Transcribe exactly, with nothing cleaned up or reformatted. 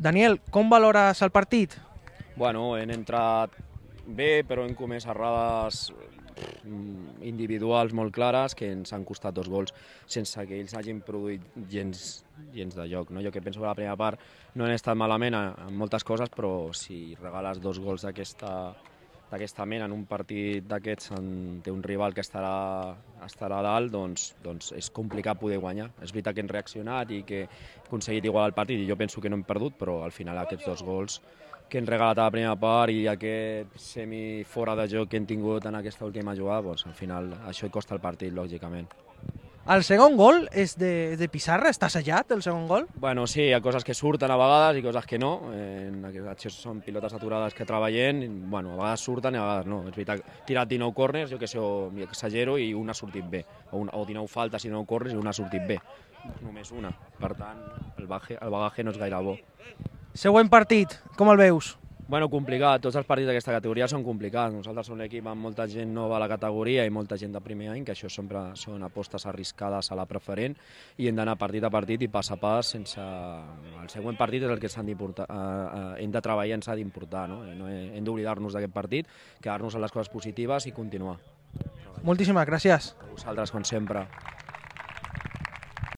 Daniel, com valores el partit? Bueno, hem entrat bé, però hem comès errades individuals molt clares que ens han costat dos gols sense que ells hagin produït gens, gens de joc. No? Jo que penso que la primera part no han estat malament en moltes coses, però si regales dos gols d'aquesta d'aquesta mena en un partit d'aquests té un rival que estarà, estarà a dalt, doncs, doncs és complicat poder guanyar. És veritat que hem reaccionat i que hem aconseguit igualar el partit i jo penso que no hem perdut, però al final aquests dos gols que hem regalat a la primera part i aquest semi fora de joc que hem tingut en aquesta última jugada, doncs, al final això et costa el partit, lògicament. El segon gol és de, de Pissarra? Està assallat, el segon gol? Bueno, sí, hi ha coses que surten a vegades i coses que no. En això són pilotes aturades que treballem. Bueno, a vegades surten i a vegades no. És veritat, he tirat dinou corners, jo que sé, o exagero, i una ha sortit bé. O, un, o dinou faltes i dinou corners i una ha sortit bé. Només una. Per tant, el bagaje, el bagaje no és gaire bo. Següent partit, com el veus? Bueno, complicat. Tots els partits d'aquesta categoria són complicats. Nosaltres som un equip amb molta gent nova a la categoria i molta gent de primer any, que això sempre són apostes arriscades a la preferent, i hem d'anar partit a partit i pas a pas sense... El següent partit és el que s'han d'importar, eh, hem de treballar i ens ha d'importar. No? No hem d'oblidar-nos d'aquest partit, quedar-nos en les coses positives i continuar. Moltíssimes gràcies. A vosaltres, com sempre.